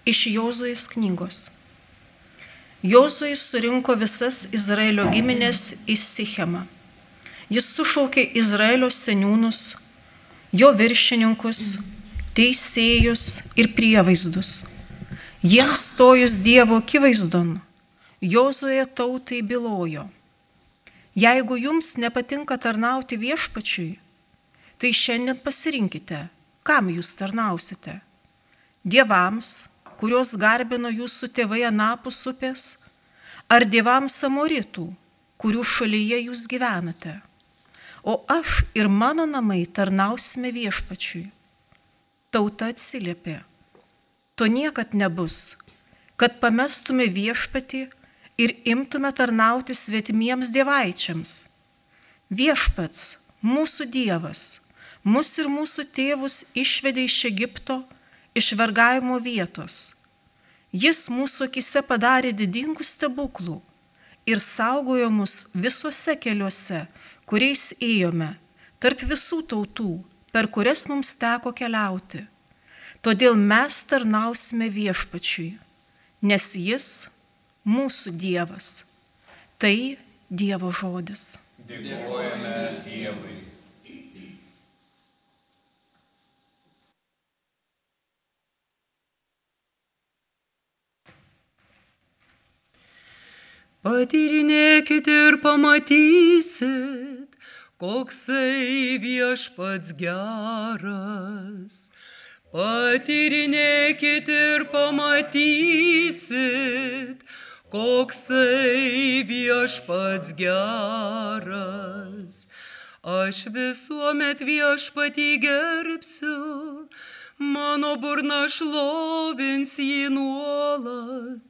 Iš Jozuės knygos. Jozuė surinko visas Izraelio giminės į Sichemą. Jis sušaukė Izraelio seniūnus, jo viršininkus, teisėjus ir prievaizdus. Jiems stojus Dievo akivaizdon, Jozuė tautai bylojo: jeigu jums nepatinka tarnauti viešpačiui, tai šiandien pasirinkite, kam jūs tarnausite. Dievams, kuriuos garbino jūsų tėvai anapus upės, ar dievams amoritų, kurių šalyje jūs gyvenate. O aš ir mano namai tarnausime viešpačiui. Tauta atsiliepė: to niekad nebus, kad pamestume viešpatį ir imtume tarnauti svetimiems dievaičiams. Viešpats, mūsų Dievas, mus ir mūsų tėvus išvedė iš Egipto, iš vergavimo vietos. Jis mūsų akyse padarė didingų stebuklų ir saugojo mus visuose keliuose, kuriais ėjome, tarp visų tautų, per kurias mums teko keliauti. Todėl mes tarnausime viešpačiui, nes jis mūsų Dievas. Tai Dievo žodis. Dėkojame Dievui. Patyrinėkit ir pamatysit, koksai viešpats geras. Patyrinėkit ir pamatysit, koksai viešpats geras. Aš visuomet viešpatį gerbsiu, mano burna šlovins jį nuolat.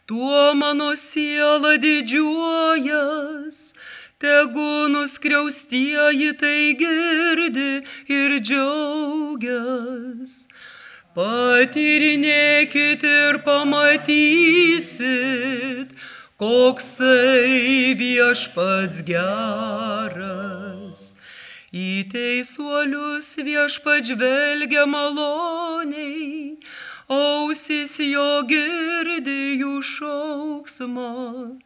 Tuo mano siela didžiuojas, tegu nuskriaustieji tai girdi ir džiaugias. Patyrinėkit ir pamatysit, koksai viešpats geras. Į teisuolius viešpats žvelgia maloniai, ausis jo girdi jų šauksmą.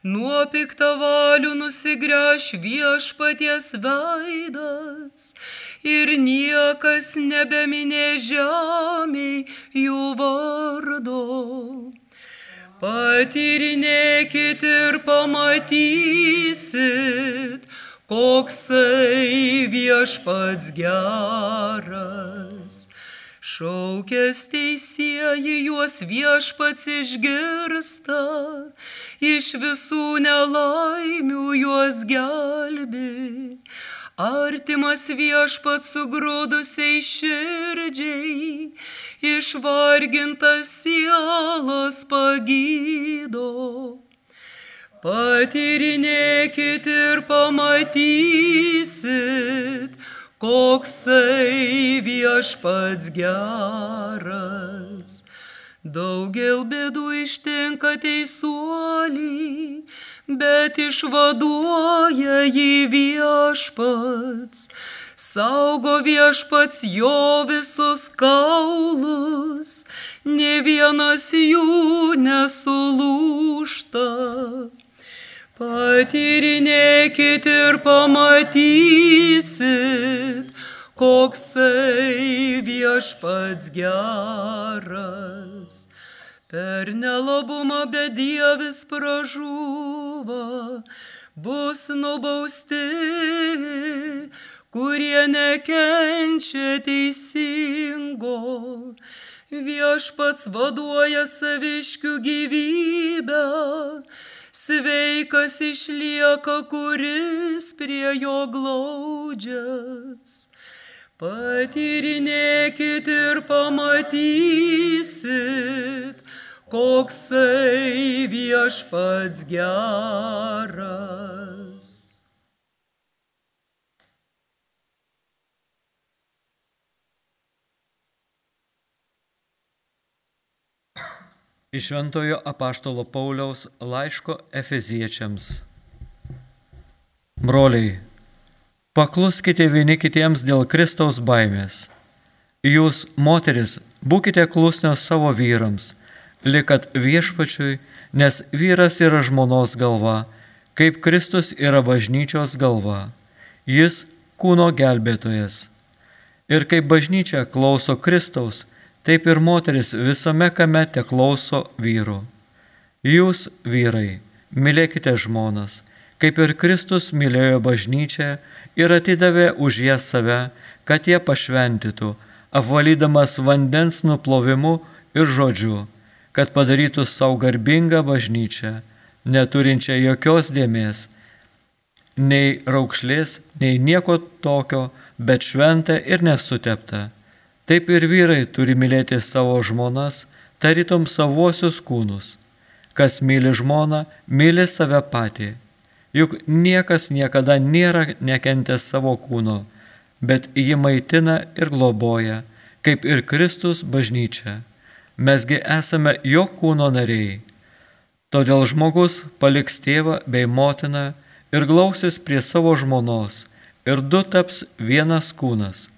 Nuo piktavalių nusigręš viešpaties veidas ir niekas nebeminė žemėj jų vardo. Patyrinėkit ir pamatysit, koksai viešpats geras. Šaukęs teisieji juos viešpats išgirsta, iš visų nelaimių juos gelbi. Artimas viešpats sugrūdusiai širdžiai, išvargintas sielas pagydo. Patyrinėkit ir pamatysit, koksai viešpats geras. Daugel bėdų ištinka teisuolį, bet išvaduoja jį viešpats. Saugo viešpats jo visus kaulus, nė vienas jų nesulūžta. Patyrinėkit ir pamatysit, koksai viešpats geras. Per nelabumą bedievis pražūva, bus nubausti, kurie nekenčia teisingo. Viešpats vaduoja saviškių gyvybę, sveikas išlieka, kuris prie jo glaudžias. Patyrinėkit ir pamatysit, koksai viešpats geras. Iš Šventojo apaštalo Pauliaus laiško Efeziečiams. Broliai, pakluskite vieni kitiems dėl Kristaus baimės. Jūs, moteris, Būkite klusnios savo vyrams, likat viešpačiui, nes vyras yra žmonos galva, kaip Kristus yra bažnyčios galva. Jis kūno gelbėtojas. Ir kaip bažnyčia klauso Kristaus, taip ir moteris visame kame te klauso vyrų. Jūs, vyrai, mylėkite žmonas, kaip ir Kristus mylėjo bažnyčią ir atidavė už ją save, kad ją pašventytų, apvalydamas vandens nuplovimu ir žodžiu, kad padarytų savo garbingą bažnyčią, neturinčią jokios dėmės, nei raukšlės, nei nieko tokio, bet šventą ir nesuteptą. Taip ir vyrai turi mylėti savo žmonas, tarytum savuosius kūnus. Kas myli žmoną, myli save patį. Juk niekas niekada nėra nekentęs savo kūno, bet jį maitina ir globoja, kaip ir Kristus bažnyčia. Mesgi esame jo kūno nariai. Todėl žmogus paliks tėvą bei motiną ir glausis prie savo žmonos, ir du taps vienas kūnas.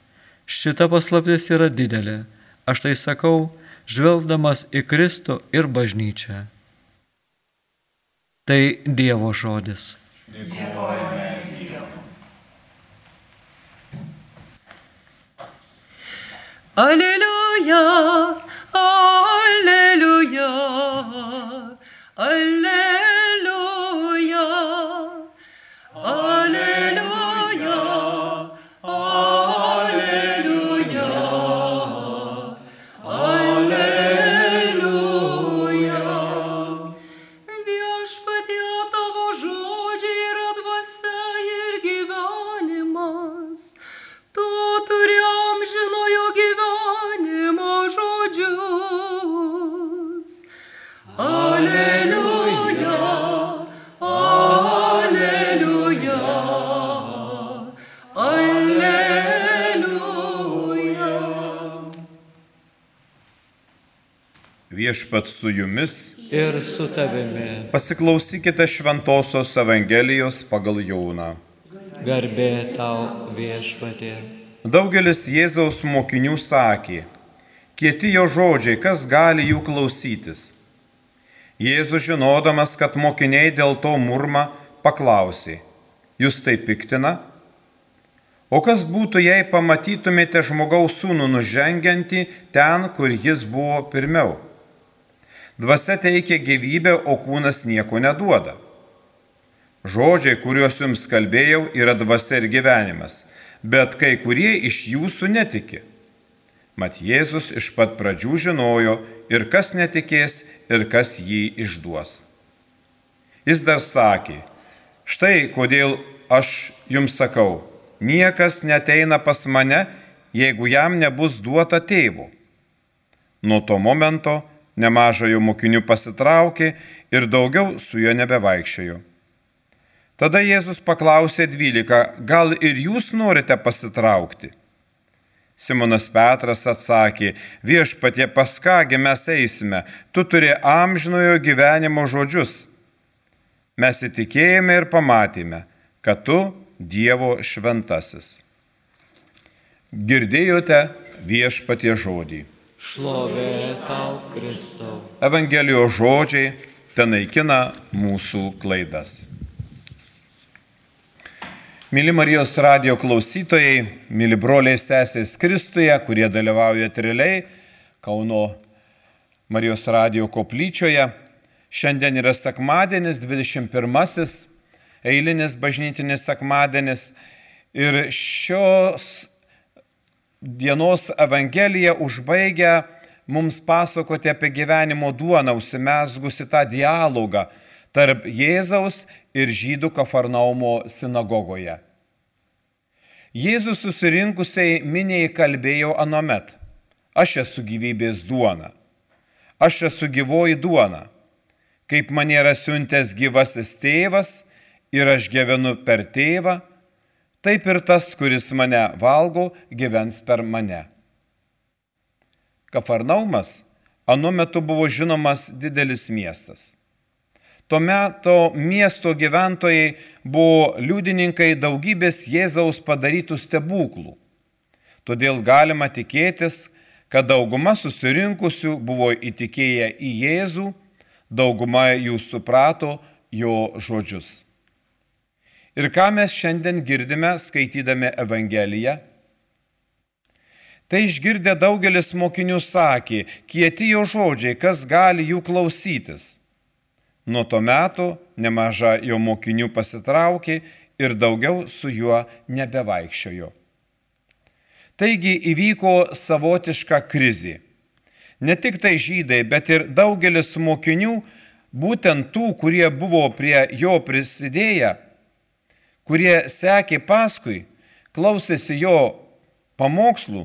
Šita paslaptis yra didelė. Aš tai sakau, žvelgdamas į Kristų ir bažnyčią. Tai Dievo žodis. Dėkojame Dievui. Alleluja, alleluja, alleluja, alleluja, alleluja, alleluja. Viešpatie, tavo žodžiai yra dvasia ir gyvenimas. Tu turi amžinojo gyvenimo žodžius. Alleluja, alleluja, alleluja. Viešpats su jumis, Ir su tavimi. pasiklausykite Šventosios Evangelijos pagal Joną. Garbė tau, viešpatie. Daugelis Jėzaus mokinių sakė, kieti jo žodžiai, kas gali jų klausytis. Jėzus, žinodamas, kad mokiniai dėl to murma, paklausė, jūs tai piktina? O kas būtų, jei pamatytumėte žmogaus sūnų nužengiantį ten, kur jis buvo pirmiau? Dvasia teikia gyvybę, o kūnas nieko neduoda. Žodžiai, kuriuos jums kalbėjau, yra dvasia ir gyvenimas, bet kai kurie iš jūsų netiki. Mat Jėzus iš pat pradžių žinojo, ir kas netikės, ir kas jį išduos. Jis dar sakė, štai kodėl aš jums sakau, niekas neteina pas mane, jeigu jam nebus duota tėvo. Nuo to momento nemažai jo mokinių pasitraukė ir daugiau su juo nebevaikščiojo. Tada Jėzus paklausė 12, gal ir jūs norite pasitraukti? Simonas Petras atsakė, viešpatie, pas kągi mes eisime, tu turi amžinojo gyvenimo žodžius. Mes įtikėjome ir pamatėme, kad tu Dievo šventasis. Girdėjote viešpatie žodį. Šlovė tau, Kristau. Evangelijos žodžiai tenaikina mūsų klaidas. Mili Marijos radijo klausytojai, mili broliai sesės Kristuje, kurie dalyvauja realiai Kauno Marijos radijo koplyčioje. Šiandien yra sekmadienis, 21-asis, eilinis bažnytinis sekmadienis. Ir šios dienos Evangelija užbaigia mums pasakoti apie gyvenimo duoną, užsimezgusi tą dialogą tarp Jėzaus ir žydų Kafarnaumo sinagogoje. Jėzus susirinkusiai miniai kalbėjo anuomet, aš esu gyvybės duona, aš esu gyvoji duona, kaip mane yra siuntęs gyvasis tėvas ir aš gyvenu per tėvą, taip ir tas, kuris mane valgo, gyvens per mane. Kafarnaumas anuo metu buvo žinomas didelis miestas. Tuo metu miesto gyventojai buvo liudininkai daugybės Jėzaus padarytų stebuklų. Todėl galima tikėtis, kad dauguma susirinkusių buvo įtikėję į Jėzų, dauguma jų suprato jo žodžius. Ir ką mes šiandien girdime, skaitydami Evangeliją? Tai išgirdę daugelis mokinių sakė, kieti jo žodžiai, kas gali jų klausytis. Nuo to meto nemaža jo mokinių pasitraukė ir daugiau su juo nebevaikščiojo. Taigi įvyko savotiška krizė. Ne tik tai žydai, bet ir daugelis mokinių, būtent tų, kurie buvo prie jo prisidėję, kurie sekė paskui, klausėsi jo pamokslų,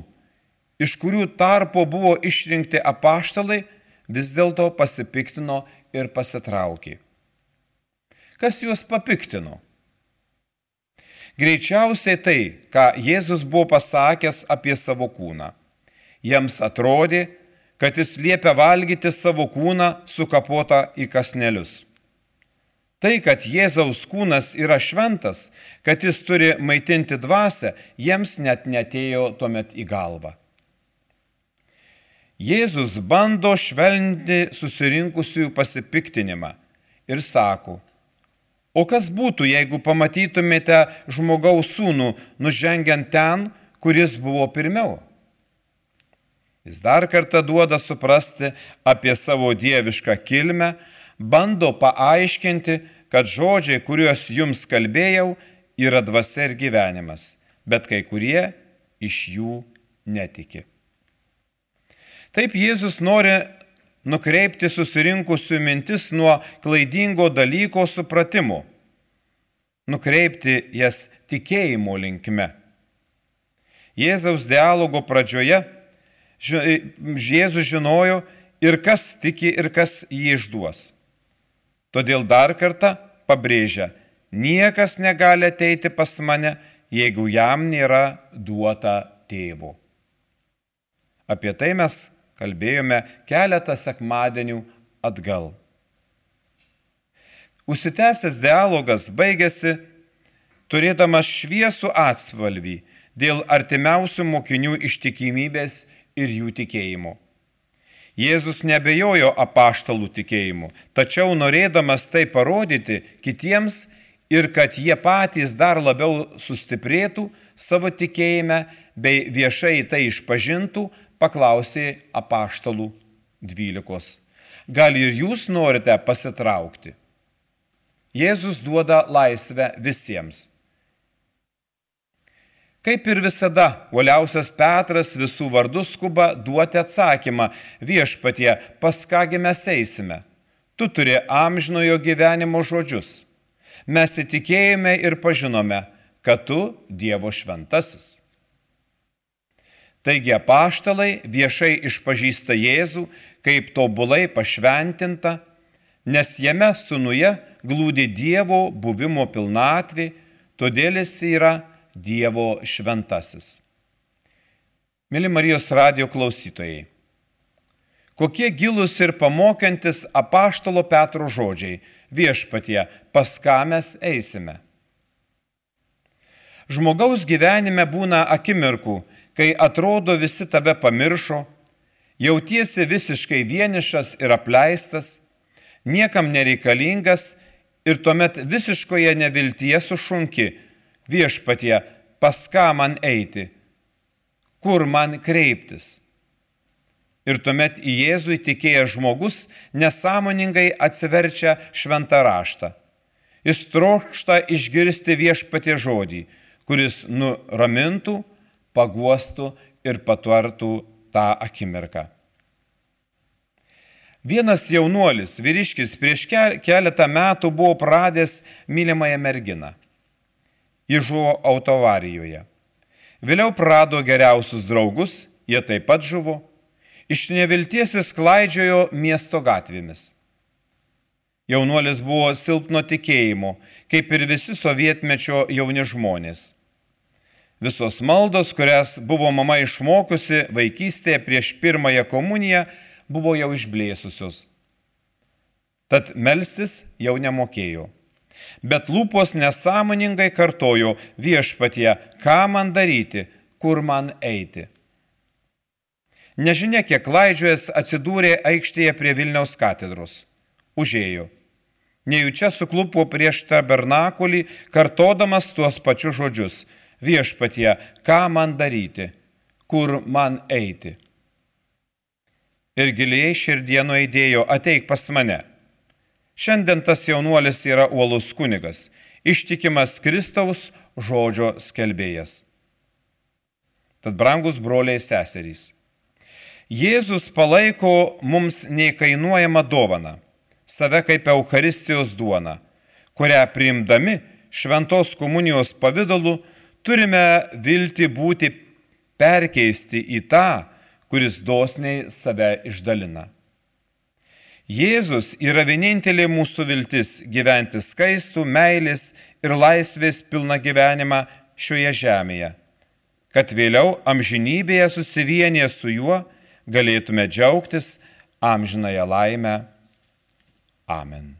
iš kurių tarpo buvo išrinkti apaštalai, vis dėlto pasipiktino ir pasitraukė. Kas juos papiktino? Greičiausiai tai, ką Jėzus buvo pasakęs apie savo kūną. Jiems atrodė, kad jis liepia valgyti savo kūną sukapotą į kąsnelius. Tai, kad Jėzaus kūnas yra šventas, kad jis turi maitinti dvasią, jiems net neatėjo tuomet į galvą. Jėzus bando švelninti susirinkusiųjų pasipiktinimą ir sako, o kas būtų, jeigu pamatytumėte žmogaus sūnų nužengiant ten, kuris buvo pirmiau? Jis dar kartą duoda suprasti apie savo dievišką kilmę, bando paaiškinti, kad žodžiai, kuriuos jums kalbėjau, yra dvasia ir gyvenimas, bet kai kurie iš jų netiki. Taip Jėzus nori nukreipti susirinkusių mintis nuo klaidingo dalyko supratimo, nukreipti jas tikėjimo linkme. Jėzaus dialogo pradžioje Jėzus žinojo ir kas tiki ir kas jį išduos. Todėl dar kartą pabrėžia, niekas negali ateiti pas mane, jeigu jam nėra duota tėvo. Apie tai mes kalbėjome keletą sekmadienių atgal. Užsitęsęs dialogas baigėsi turėdamas šviesų atspalvį dėl artimiausių mokinių ištikimybės ir jų tikėjimo. Jėzus nebejojo apaštalų tikėjimu, tačiau norėdamas tai parodyti kitiems ir kad jie patys dar labiau sustiprėtų savo tikėjime bei viešai tai išpažintų, paklausė apaštalų 12. Gal ir jūs norite pasitraukti? Jėzus duoda laisvę visiems. Kaip ir visada, uoliausias Petras visų vardų skuba duoti atsakymą, viešpatie, pas kągi mes eisime? Tu turi amžinojo gyvenimo žodžius. Mes įtikėjome ir pažinome, kad tu Dievo šventasis. Taigi apaštalai viešai išpažįsta Jėzų kaip tobulai pašventintą, nes jame sūnuje glūdi Dievo buvimo pilnatvė, todėl jis yra Dievo šventasis. Mėly Marijos radijo klausytojai, kokie gilūs ir pamokantis apaštalo Petro žodžiai, viešpatie, pas ką mes eisime? Žmogaus gyvenime būna akimirkų, kai atrodo visi tave pamiršo, jautiesi visiškai vienišas ir apleistas, niekam nereikalingas ir tuomet visiškoje neviltyje sušunki, viešpatie, pas ką man eiti, kur man kreiptis. Ir tuomet į Jėzų įtikėjęs žmogus nesąmoningai atsiverčia šventą raštą. Jis trokšta išgirsti viešpatie žodį, kuris nuramintų, paguostų ir patvartų tą akimirką. Vienas jaunuolis, vyriškis, prieš keletą metų buvo pradęs mylimąją merginą. Ji žuvo autoavarijoje. Vėliau prarado geriausius draugus, jie taip pat žuvo. Iš nevilties jis klaidžiojo miesto gatvėmis. Jaunuolis buvo silpno tikėjimo, kaip ir visi sovietmečio jauni žmonės. Visos maldos, kurias buvo mama išmokusi vaikystėje prieš pirmąją komuniją, buvo jau išblėsusios. Tad melstis jau nemokėjo. Bet lūpos nesąmoningai kartojo, viešpatie, ką man daryti, kur man eiti. Nežinia, kiek klaidžiojęs atsidūrė aikštėje prie Vilniaus katedros. Užėjo. Nejučia suklupo prieš tabernakulį, kartodamas tuos pačius žodžius. Viešpatie, ką man daryti, kur man eiti? Ir giliai širdie nueidėjo, ateik pas mane. Šiandien tas jaunuolis yra uolus kunigas, ištikimas Kristaus žodžio skelbėjas. Tad brangus broliai ir seserys, Jėzus palaiko mums neįkainuojamą dovaną, save kaip Eucharistijos duoną, kurią priimdami šventos komunijos pavidalu turime viltį būti perkeisti į tą, kuris dosniai save išdalina. Jėzus yra vienintelė mūsų viltis gyventi skaistų, meilės ir laisvės pilną gyvenimą šioje žemėje, kad vėliau amžinybėje susivienyje su juo galėtume džiaugtis amžinąją laimę. Amen.